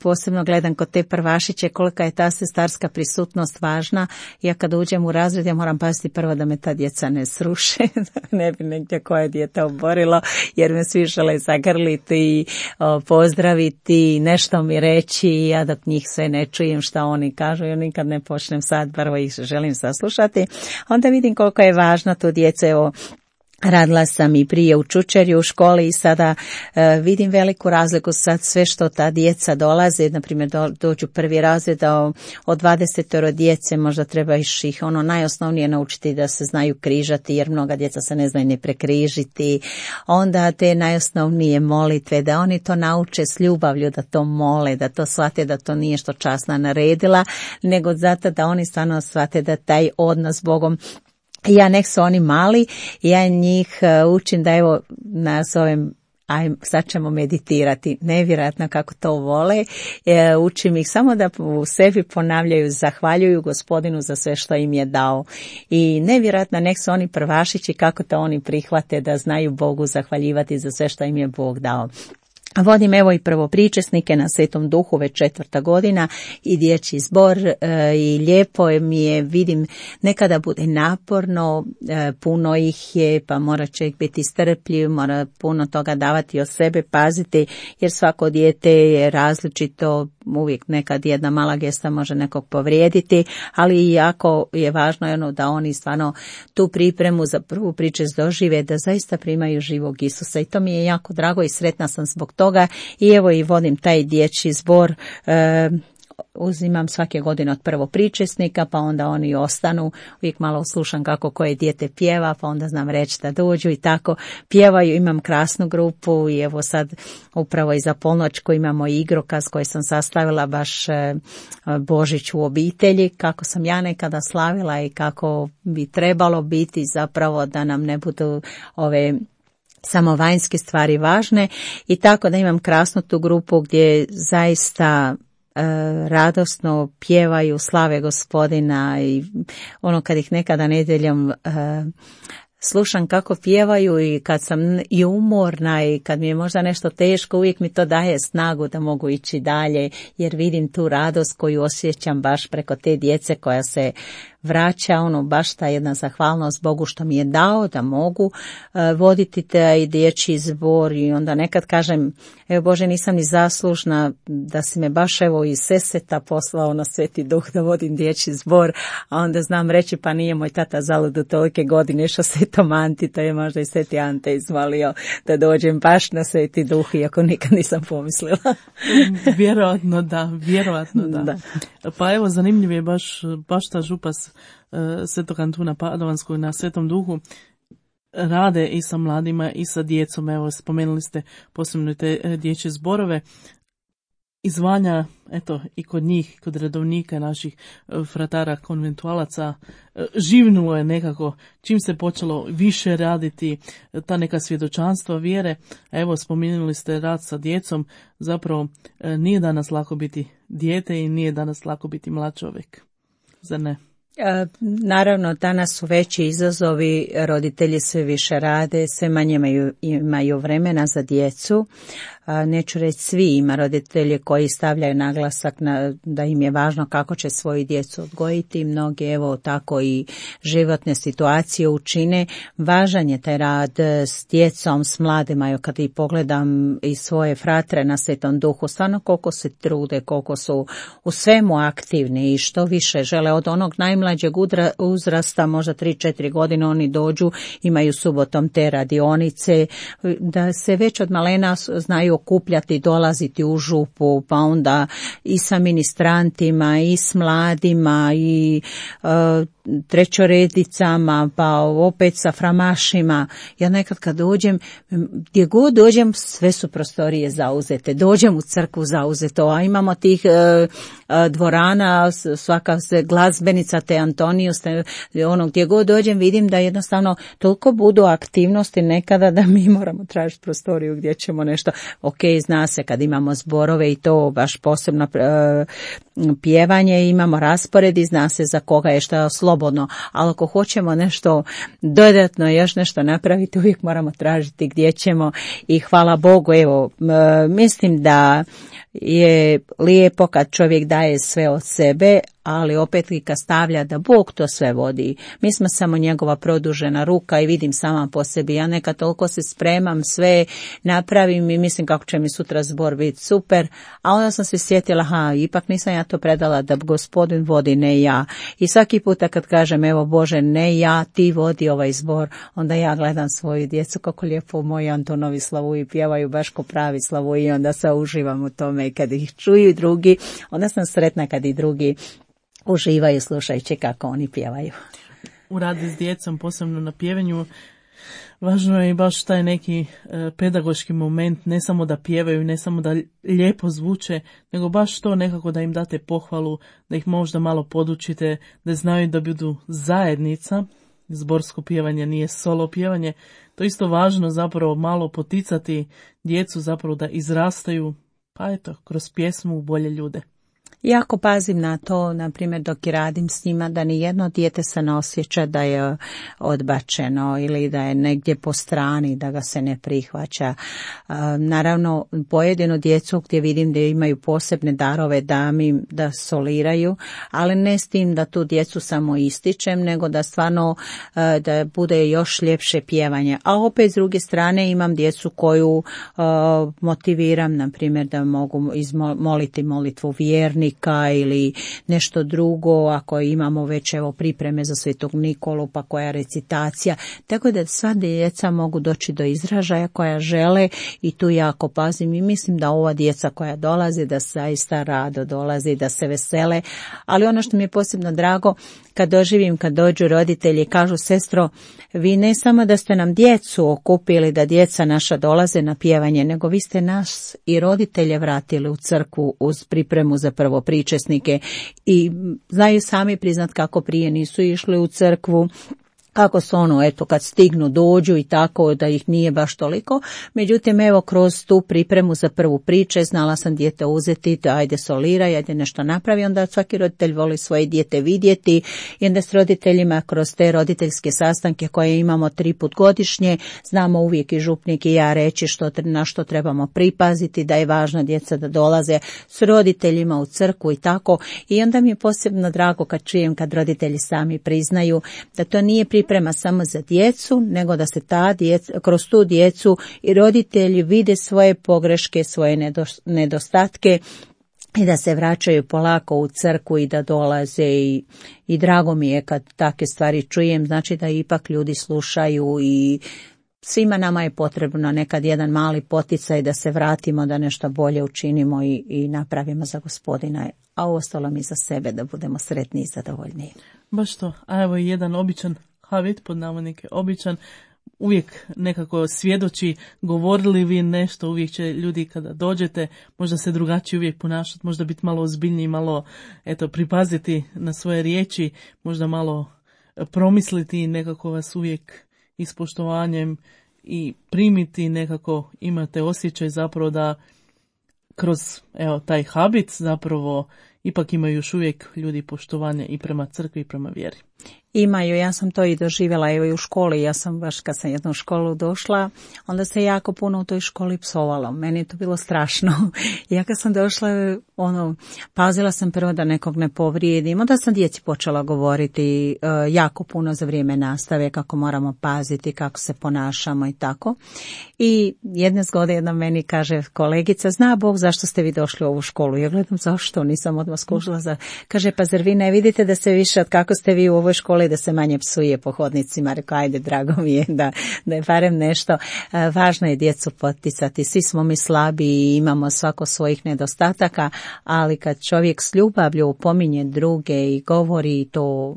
Posebno gledam kod te prvašiće kolika je ta sestarska prisutnost važna. Ja kad uđem u razred ja moram paziti prvo da me ta djeca ne sruše, ne bi negdje koje dijete oborilo, jer me svi žele zagrliti, pozdraviti, nešto mi reći, ja dok njih sve ne čujem šta oni kažu, ja nikad ne počnem sad, prvo ih želim saslušati, onda vidim koliko je važno to djece. Evo, radila sam i prije u Čučerju u školi i sada vidim veliku razliku sad sve što ta djeca dolaze, na primjer dođu 1. razred, od 20 djece možda treba ih najosnovnije naučiti da se znaju križati, jer mnoga djeca se ne znaju ne prekrižiti, onda te najosnovnije molitve, da oni to nauče s ljubavlju, da to mole, da to shvate da to nije što časna naredila, nego zato da oni stvarno shvate da taj odnos s Bogom, ja nek su oni mali, ja njih učim da evo nas ovim, sad ćemo meditirati, nevjerojatno kako to vole, učim ih samo da u sebi ponavljaju, zahvaljuju Gospodinu za sve što im je dao i nevjerojatno nek su oni prvašići kako to oni prihvate, da znaju Bogu zahvaljivati za sve što im je Bog dao. Vodim evo i prvopričesnike na Svetom Duhu već 4. godina i dječji zbor i lijepo mi je, vidim nekada bude naporno, puno ih je pa mora čovjek biti strpljiv, mora puno toga davati od sebe, paziti jer svako dijete je različito, uvijek nekad jedna mala gesta može nekog povrijediti, ali jako je važno da oni stvarno tu pripremu za prvu pričest dožive, da zaista primaju živog Isusa i to mi je jako drago i sretna sam zbog toga i evo i vodim taj dječji zbor, uzimam svake godine od prvopričesnika pa onda oni ostanu, uvijek malo slušam kako koje dijete pjeva pa onda znam reći da dođu i tako pjevaju, imam krasnu grupu i evo sad upravo i za polnoćku imamo igrokaz koji sam sastavila baš Božić u obitelji, kako sam ja nekada slavila i kako bi trebalo biti zapravo da nam ne budu ove samo vanjske stvari važne i tako da imam krasnu tu grupu gdje zaista radosno pjevaju, slave Gospodina i ono kad ih nekada nedjeljom slušam kako pjevaju i kad sam i umorna i kad mi je možda nešto teško, uvijek mi to daje snagu da mogu ići dalje jer vidim tu radost koju osjećam baš preko te djece koja se vraća, baš ta jedna zahvalnost Bogu što mi je dao da mogu voditi taj dječji zbor i onda nekad kažem, evo Bože nisam ni zaslužna da si me baš evo iz Sesveta poslao na Sveti Duh da vodim dječji zbor, a onda znam reći pa nije moj tata zaludu tolike godine što Svetom Anti, to je možda i Sveti Ante izvalio da dođem baš na Sveti Duh iako nikad nisam pomislila. Vjerojatno da. Pa evo zanimljiv je baš ta župas Svetog Antuna Padovanskog na Svetom Duhu rade i sa mladima i sa djecom. Evo spomenuli ste posebno te dječje zborove. izvanja, eto, i kod njih, kod redovnika naših fratara konventualaca, živnulo je nekako, čim se počelo više raditi ta neka svjedočanstva vjere. A evo, spominjali ste rad sa djecom, zapravo nije danas lako biti dijete i nije danas lako biti mlad čovjek, zar ne? Naravno, danas su veći izazovi, roditelji sve više rade, sve manje imaju vremena za djecu. Neću reći svi, ima roditelji koji stavljaju naglasak da im je važno kako će svoju djecu odgojiti. Mnogi evo tako i životne situacije učine. Važan je taj rad s djecom, s mladima. Kad i pogledam i svoje fratre na Svetom Duhu, stvarno koliko se trude, koliko su u svemu aktivni i što više žele od onog najmlađeg uzrasta, možda 3-4 godine oni dođu, imaju subotom te radionice, da se već od malena znaju okupljati, dolaziti u župu, pa onda i sa ministrantima, i s mladima, i trećoredicama, pa opet sa framašima. Ja nekad kad dođem, gdje god dođem, sve su prostorije zauzete. Dođem u crkvu zauzeto, a imamo tih dvorana, svaka se glazbenica te Antoniju, gdje god dođem vidim da jednostavno toliko budu aktivnosti nekada da mi moramo tražiti prostoriju gdje ćemo nešto. Ok, zna se kad imamo zborove i to baš posebno pjevanje, imamo raspored i zna se za koga je što slobodno, ali ako hoćemo nešto dodatno, još nešto napraviti, uvijek moramo tražiti gdje ćemo i hvala Bogu, evo, mislim da je lijepo kad čovjek daje sve od sebe, ali opet i kad stavlja da Bog to sve vodi. Mi smo samo njegova produžena ruka i vidim sama po sebi. Ja nekad toliko se spremam, sve napravim i mislim kako će mi sutra zbor biti super, a onda sam se sjetila, ipak nisam ja to predala da Gospodin vodi, ne ja. I svaki puta kad kažem, evo Bože, ne ja, ti vodi ovaj zbor, onda ja gledam svoju djecu kako lijepo moji Antonovi slavuju, pjevaju baš ko pravi slavuju i onda se uživam u tome i kad ih čuju drugi, onda sam sretna kad i drugi uživaju slušajući kako oni pjevaju. U radu s djecom, posebno na pjevanju, važno je i baš taj neki pedagoški moment, ne samo da pjevaju, ne samo da lijepo zvuče, nego baš to nekako da im date pohvalu, da ih možda malo podučite, da znaju da budu zajednica. Zborsko pjevanje nije solo pjevanje. To je isto važno zapravo malo poticati djecu zapravo da izrastaju, pa eto, kroz pjesmu u bolje ljude. Jako pazim na to, na primjer dok i radim s njima, da ni jedno dijete se ne osjeća da je odbačeno ili da je negdje po strani, da ga se ne prihvaća. Naravno, pojedinu djecu gdje vidim da imaju posebne darove da soliraju, ali ne s tim da tu djecu samo ističem, nego da stvarno da bude još ljepše pjevanje. A opet s druge strane imam djecu koju motiviram, na primjer da mogu moliti molitvu vjernika ili nešto drugo, ako imamo već evo pripreme za Svetog Nikolu, pa koja recitacija, tako da sva djeca mogu doći do izražaja koja žele i tu jako pazim i mislim da ova djeca koja dolazi, da zaista rado dolazi, da se vesele, ali ono što mi je posebno drago, kad doživim, kad dođu roditelji i kažu, sestro, vi ne samo da ste nam djecu okupili, da djeca naša dolaze na pjevanje, nego vi ste nas i roditelje vratili u crkvu uz pripremu za prvopričesnike i znaju sami priznat kako prije nisu išli u crkvu, kako su kad stignu dođu i tako da ih nije baš toliko. Međutim, evo kroz tu pripremu za prvu priče znala sam dijete uzeti, da ajde soliraj, ajde nešto napravi, onda svaki roditelj voli svoje dijete vidjeti i onda s roditeljima kroz te roditeljske sastanke koje imamo 3 put godišnje, znamo uvijek i župnik i ja reći na što trebamo pripaziti, da je važno djeca da dolaze s roditeljima u crkvu i tako. I onda mi je posebno drago kad čujem kad roditelji sami priznaju da to nije priprema samo za djecu, nego da se kroz tu djecu i roditelji vide svoje pogreške, svoje nedostatke i da se vraćaju polako u crkvu i da dolaze i drago mi je kad takve stvari čujem, znači da ipak ljudi slušaju i svima nama je potrebno nekad jedan mali poticaj da se vratimo, da nešto bolje učinimo i napravimo za Gospodina, a uostalom i za sebe da budemo sretni i zadovoljni. Baš to, a evo jedan običan Havit, pod navodnike običan, uvijek nekako svjedoči, govorili vi nešto, uvijek će ljudi kada dođete možda se drugačije uvijek ponašati, možda biti malo ozbiljniji, malo pripaziti na svoje riječi, možda malo promisliti, nekako vas uvijek ispoštovanjem i primiti, nekako imate osjećaj zapravo da kroz taj habit zapravo ipak imaju još uvijek ljudi poštovanje i prema crkvi i prema vjeri. Imaju, ja sam to i doživjela i u školi, ja sam baš kad sam jednu školu došla, onda se jako puno u toj školi psovalo, meni je to bilo strašno. Ja kad sam došla, pazila sam prvo da nekog ne povrijedim, onda sam djeci počela govoriti jako puno za vrijeme nastave, kako moramo paziti, kako se ponašamo i tako. I jedne zgode jedna meni kaže kolegica, zna Bog zašto ste vi došli u ovu školu? Ja gledam zašto, nisam odmah skužila. Kaže, pa zar vi ne vidite da se više od kako ste vi u ovoj školi da se manje psuje po hodnicima? Rekao, ajde, drago mi je da je barem nešto. Važno je djecu poticati, svi smo mi slabi i imamo svako svojih nedostataka, ali kad čovjek s ljubavlju upominje druge i govori, to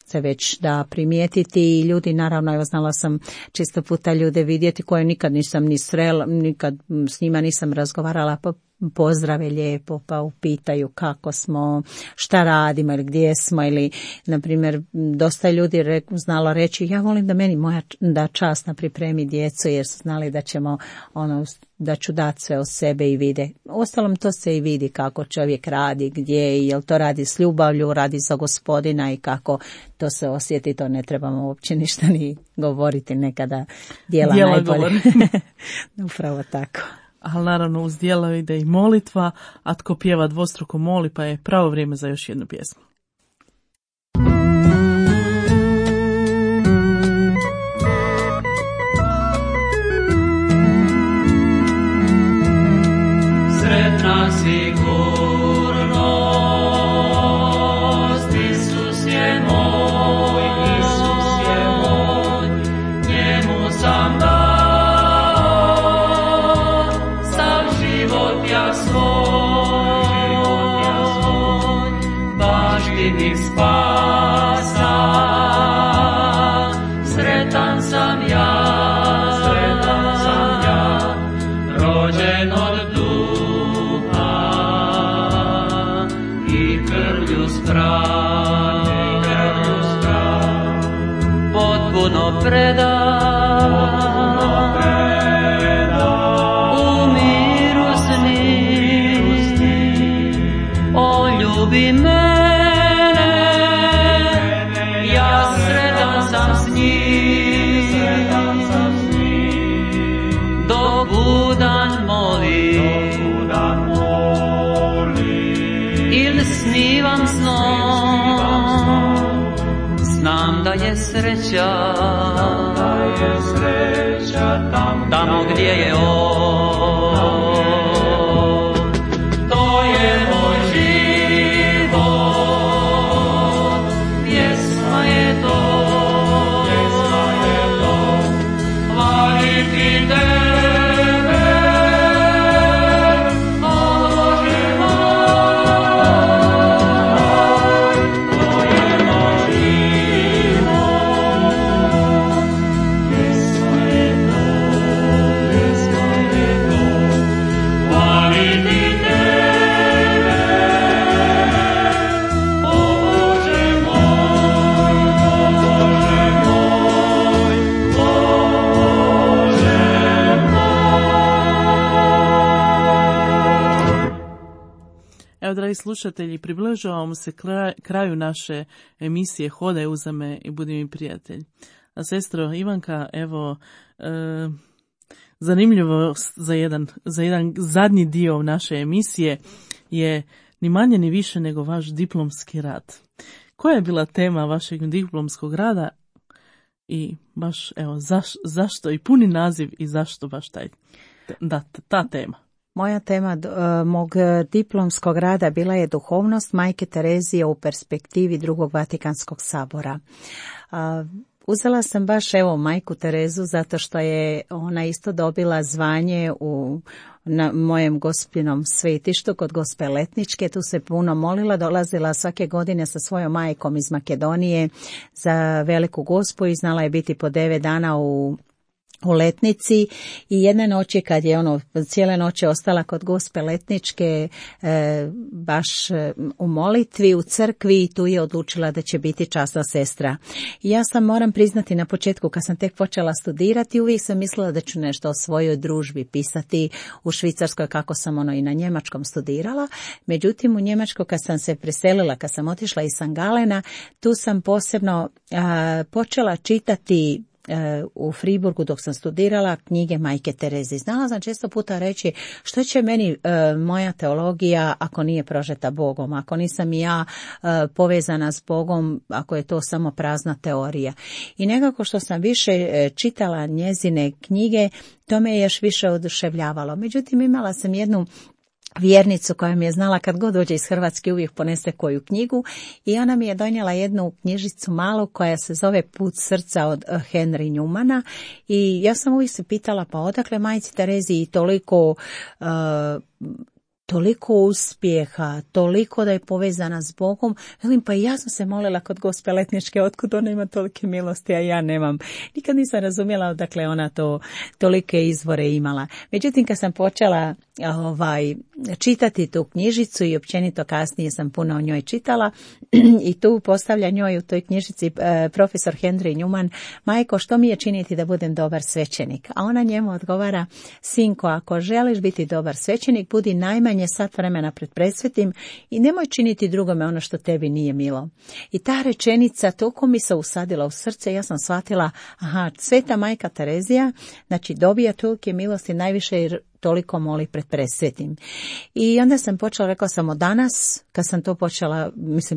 se već da primijetiti i ljudi, naravno, evo znala sam čisto puta ljude vidjeti koje nikad nisam ni srela, nikad s njima nisam razgovarala, pa pozdrave lijepo, pa upitaju kako smo, šta radimo ili gdje smo, ili na primjer dosta ljudi znalo reći, ja volim da meni moja da časna pripremi djecu jer su znali da ćemo da ću dati sve od sebe i vide. Uostalom to se i vidi kako čovjek radi, gdje, jel to radi s ljubavlju, radi za Gospodina i kako to se osjeti, to ne trebamo uopće ništa ni govoriti, nekada djela najbolje. Upravo tako. Ali naravno uz djela ide i molitva, a tko pjeva dvostruko moli, pa je pravo vrijeme za još jednu pjesmu. Sretna sigurnost, Isus je moj, njemu sam dao sav život ja svoj, baštinik spasa. Sretan sam ja, rođen od potpuno predan, u miru s njim, o ljubi mene, ja sretan sam s njim, dok budan molim, ili snivam snom, znam da je sreća tamo gdje je on. To je moj život, pjesma je to, hvaliti tebe, o Bože moj. To je moj život, pjesma je to, hvaliti tebe, o Bože moj, Bože moj. Evo, dragi slušatelji, približavamo se kraju naše emisije Hodaj uza me i budi mi prijatelj. A sestro Ivanka, evo, zanimljivo za jedan zadnji dio naše emisije je ni manje ni više nego vaš diplomski rad. Koja je bila tema vašeg diplomskog rada i baš, evo, zašto i puni naziv i zašto baš ta tema? Moja tema mog diplomskog rada bila je duhovnost Majke Terezije u perspektivi Drugog Vatikanskog sabora. Uzela sam baš Majku Terezu zato što je ona isto dobila zvanje na mojem Gospinom svetištu kod Gospe Letničke. Tu se puno molila, dolazila svake godine sa svojom majkom iz Makedonije za Veliku Gospu i znala je biti po 9 dana u u Letnici i jedne noći kad je cijele noći ostala kod Gospe Letničke baš u molitvi u crkvi, tu je odlučila da će biti časna sestra. I ja sam, moram priznati, na početku kad sam tek počela studirati, uvijek sam mislila da ću nešto o svojoj družbi pisati u Švicarskoj, kako sam i na njemačkom studirala. Međutim, u Njemačkoj kad sam se preselila, kad sam otišla iz St. Galena, tu sam posebno počela čitati u Friburgu dok sam studirala knjige Majke Tereze. Znala sam često puta reći što će meni moja teologija ako nije prožeta Bogom, ako nisam i ja povezana s Bogom, ako je to samo prazna teorija. I nekako što sam više čitala njezine knjige, to me je još više oduševljavalo. Međutim, imala sam jednu vjernicu koja mi je znala kad god dođe iz Hrvatske uvijek ponese koju knjigu i ona mi je donijela jednu knjižicu malu koja se zove Put srca od Henry Newmana i ja sam uvijek se pitala pa odakle majci Terezi toliko uspjeha, toliko da je povezana s Bogom. Velim, pa i ja sam se molila kod Gospe Letničke, otkud ona ima tolike milosti, a ja nemam. Nikad nisam razumjela odakle ona tolike izvore imala. Međutim, kad sam počela čitati tu knjižicu i općenito kasnije sam puno o njoj čitala i tu postavlja njoj u toj knjižici profesor Henry Newman, majko, što mi je činiti da budem dobar svećenik? A ona njemu odgovara, sinko, ako želiš biti dobar svećenik, budi najmanje sat vremena pred presvetim i nemoj činiti drugome ono što tebi nije milo. I ta rečenica toliko mi se usadila u srce, ja sam shvatila, sveta majka Terezija, znači dobija tolike milosti najviše jer toliko moli pred presvetim. I onda sam počela, rekla sam od danas, kad sam to počela,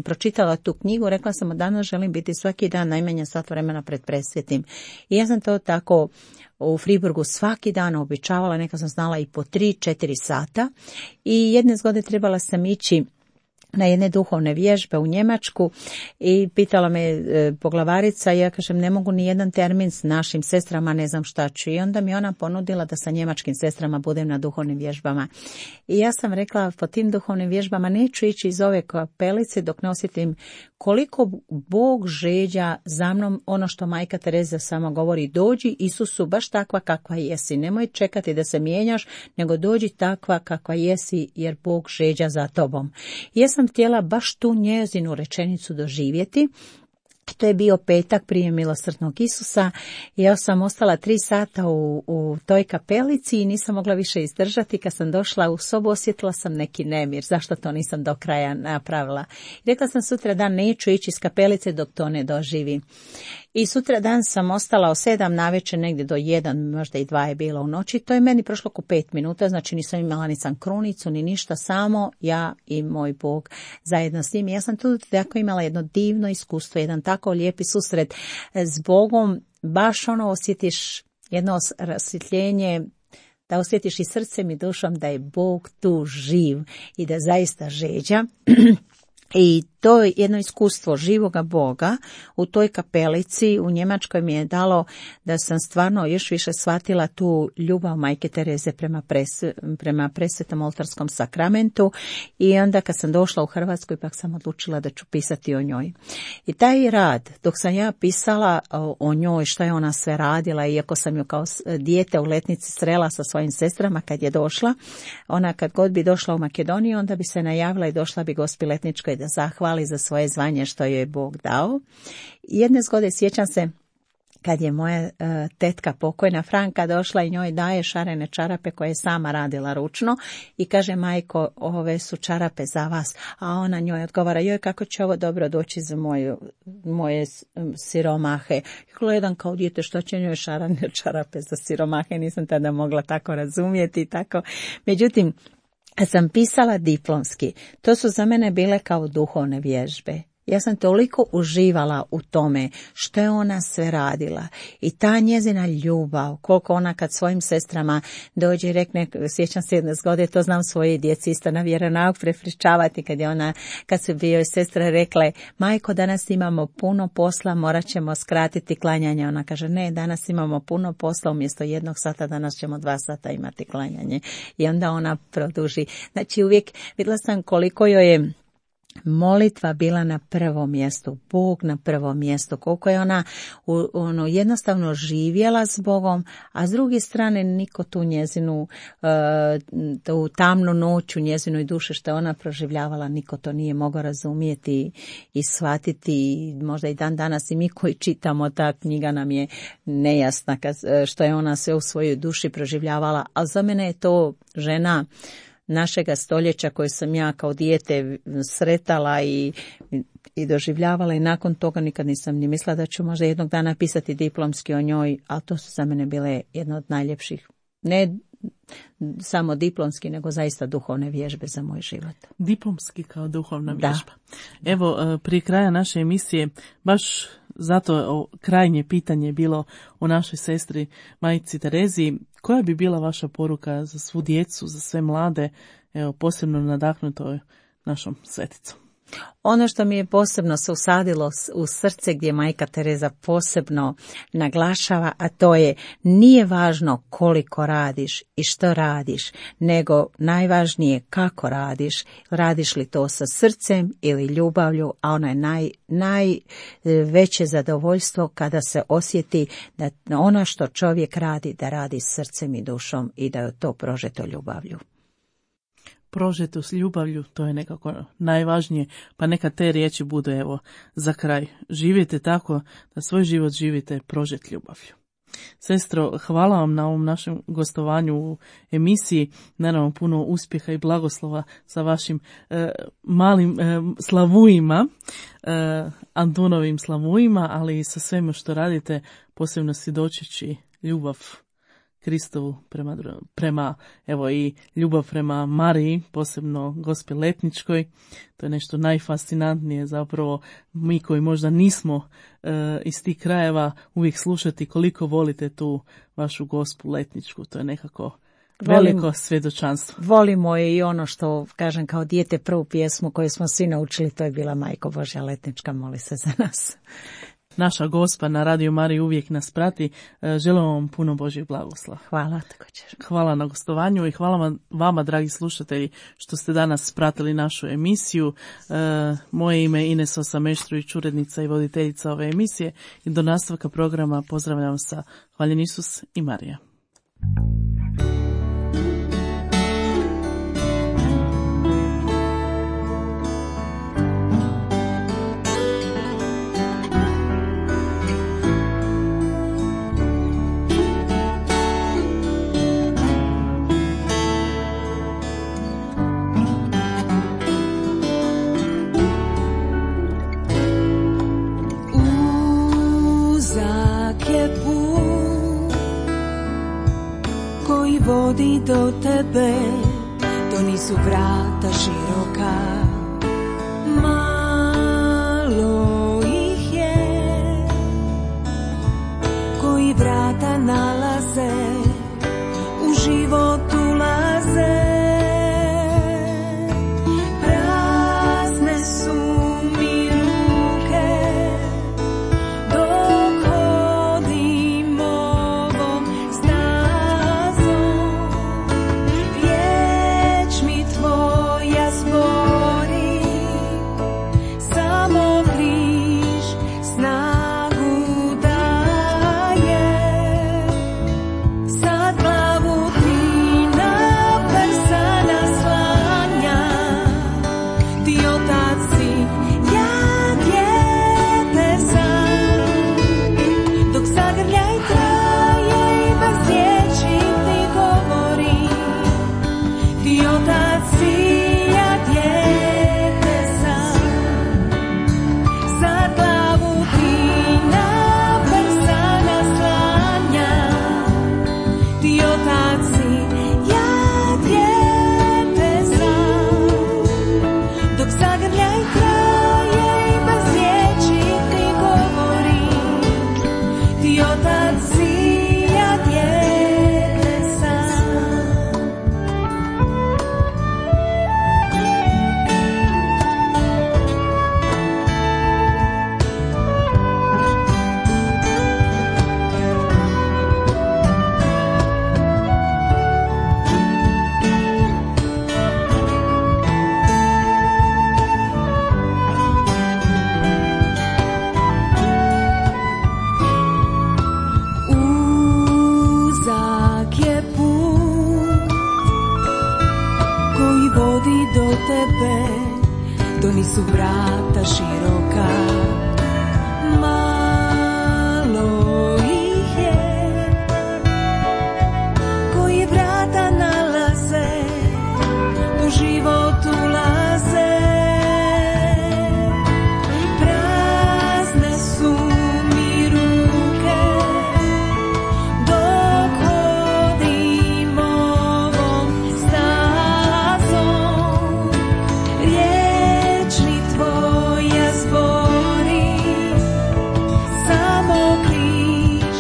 pročitala tu knjigu, rekla sam od danas želim biti svaki dan najmanje sat vremena pred presvetim. I ja sam to tako u Friburgu svaki dan običavala, neka sam znala i po 3-4 sata i jedne zgode trebala sam ići na jedne duhovne vježbe u Njemačku i pitala me poglavarica, ja kažem ne mogu ni jedan termin s našim sestrama, ne znam šta ću. I onda mi ona ponudila da sa njemačkim sestrama budem na duhovnim vježbama. I ja sam rekla po tim duhovnim vježbama neću ići iz ove kapelice dok ne osjetim koliko Bog žeđa za mnom, ono što majka Tereza sama govori, dođi Isusu baš takva kakva jesi, nemoj čekati da se mijenjaš, nego dođi takva kakva jesi jer Bog žeđa za tobom. I ja sam htjela baš tu njezinu rečenicu doživjeti. To je bio petak prije milosrdnog Isusa i ja sam ostala 3 sata u toj kapelici i nisam mogla više izdržati. Kad sam došla u sobu osjetila sam neki nemir, zašto to nisam do kraja napravila. I rekla sam sutra dan neću ići iz kapelice dok to ne doživim. I sutra dan sam ostala od 7 navečer negdje do 1, možda i 2 je bilo u noći. To je meni prošlo oko 5 minuta, znači nisam imala ni sam krunicu, ni ništa, samo ja i moj Bog zajedno s njim. Ja sam tu tako imala jedno divno iskustvo, jedan tako lijepi susret s Bogom, baš osjetiš jedno rasvjetljenje, da osjetiš i srcem i dušom da je Bog tu živ i da zaista žeđa. I to je jedno iskustvo živoga Boga u toj kapelici u Njemačkoj mi je dalo da sam stvarno još više shvatila tu ljubav majke Tereze prema presvetom oltarskom sakramentu i onda kad sam došla u Hrvatsku ipak sam odlučila da ću pisati o njoj. I taj rad, dok sam ja pisala o njoj, šta je ona sve radila, iako sam ju kao dijete u Letnici srela sa svojim sestrama kad je došla, ona kad god bi došla u Makedoniju, onda bi se najavila i došla bi Gospi Letničkoj da zahvali za svoje zvanje što joj je Bog dao. Jedne zgode sjećam se kad je moja tetka pokojna Franka došla i njoj daje šarene čarape koje je sama radila ručno i kaže majko, ove su čarape za vas, a ona njoj odgovara, joj kako će ovo dobro doći za moje siromahe. I gledam kao dijete što će njoj šarene čarape za siromahe, nisam tada mogla tako razumjeti. Tako. Međutim, kad sam pisala diplomski, to su za mene bile kao duhovne vježbe. Ja sam toliko uživala u tome što je ona sve radila i ta njezina ljubav, koliko ona kad svojim sestrama dođe i rekne, sjećam se jedne zgode, to znam svoje djeci isto na vjeronauk prepričavati kad su bio sestre rekle, majko danas imamo puno posla, morat ćemo skratiti klanjanje. Ona kaže, ne, danas imamo puno posla, umjesto 1 sata danas ćemo 2 sata imati klanjanje. I onda ona produži. Znači uvijek vidjela sam koliko joj je molitva bila na prvom mjestu, Bog na prvom mjestu, koliko je ona jednostavno živjela s Bogom, a s druge strane niko tu njezinu, tu tamnu noć u njezinoj duši što je ona proživljavala, niko to nije mogao razumijeti i shvatiti. Možda i dan danas i mi koji čitamo, ta knjiga nam je nejasna što je ona sve u svojoj duši proživljavala, a za mene je to žena našega stoljeća koju sam ja kao dijete sretala i doživljavala i nakon toga nikad nisam ni mislila da ću možda jednog dana pisati diplomski o njoj, ali to su za mene bile jedna od najljepših, ne samo diplomski, nego zaista duhovne vježbe za moj život. Diplomski kao duhovna vježba. Evo, prije kraja naše emisije, baš zato krajnje pitanje je bilo o našoj sestri Majici Tereziji. Koja bi bila vaša poruka za svu djecu, za sve mlade, evo, posebno nadahnutoj našom sveticom? Ono što mi je posebno se usadilo u srce gdje majka Tereza posebno naglašava, a to je nije važno koliko radiš i što radiš, nego najvažnije kako radiš, radiš li to sa srcem ili ljubavlju, a ono je najveće zadovoljstvo kada se osjeti da ono što čovjek radi, da radi srcem i dušom i da je to prožeto ljubavlju. Prožeto s ljubavlju, to je nekako najvažnije, pa neka te riječi budu evo za kraj. Živite tako da svoj život živite prožet ljubavlju. Sestro, hvala vam na ovom našem gostovanju u emisiji, naravno puno uspjeha i blagoslova sa vašim malim slavujima, Antunovim slavujima, ali i sa svema što radite, posebno svjedočeći ljubav Kristovu prema evo i ljubav prema Mariji, posebno Gospi Letničkoj. To je nešto najfascinantnije zapravo. Mi koji možda nismo iz tih krajeva uvijek slušati koliko volite tu vašu Gospu Letničku. To je nekako veliko svjedočanstvo. Volimo je i ono što kažem kao dijete, prvu pjesmu koju smo svi naučili, to je bila Majko Božja Letnička, moli se za nas. Naša Gospa na Radio Mariji uvijek nas prati. Želim vam puno Božjih blagoslova. Hvala također. Hvala na gostovanju i hvala vama, dragi slušatelji, što ste danas pratili našu emisiju. Moje ime je Ines Osameštrović, urednica i voditeljica ove emisije, i do nastavka programa pozdravljam sa Hvaljen Isus i Marija. Vodi do tebe, to nisu vrata široka, malo ih je, koji vrata nalaze, u život ulaze. Prazne su mi ruke, dok hodim ovom stazom. Riječ mi tvoja zbori, samo bliž snagu daje. tebe, to nisu vrata široka, malo ih je, koji vrata nalaze, u život ulaze. Prazne su mi ruke, dok hodim ovom stazom, riječi tvoja zbori, samo križ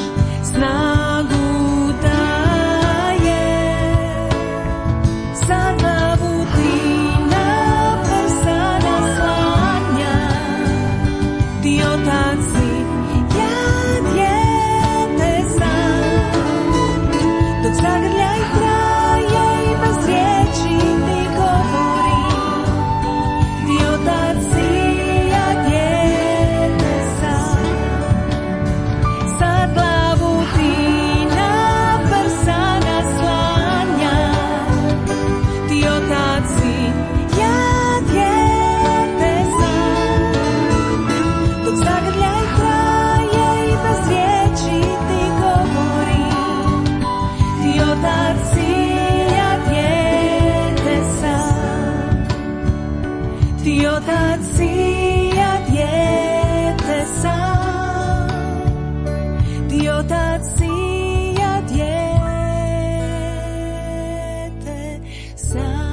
snagu daje, za glavu ti na prsa naslanja, ti otac si, ja dijete sam, dok zagrljaj traje i bez riječi ti govori, ti otac si, ja dijete sam, sad glavu ti na prsa naslanja, ti otac si, ja dijete sam, dok zagrljaj traje i bez riječi ti govori, ti otac si, ja dijete sam, ti otac si, ja dijete sam, ti otac si, ja dijete sam.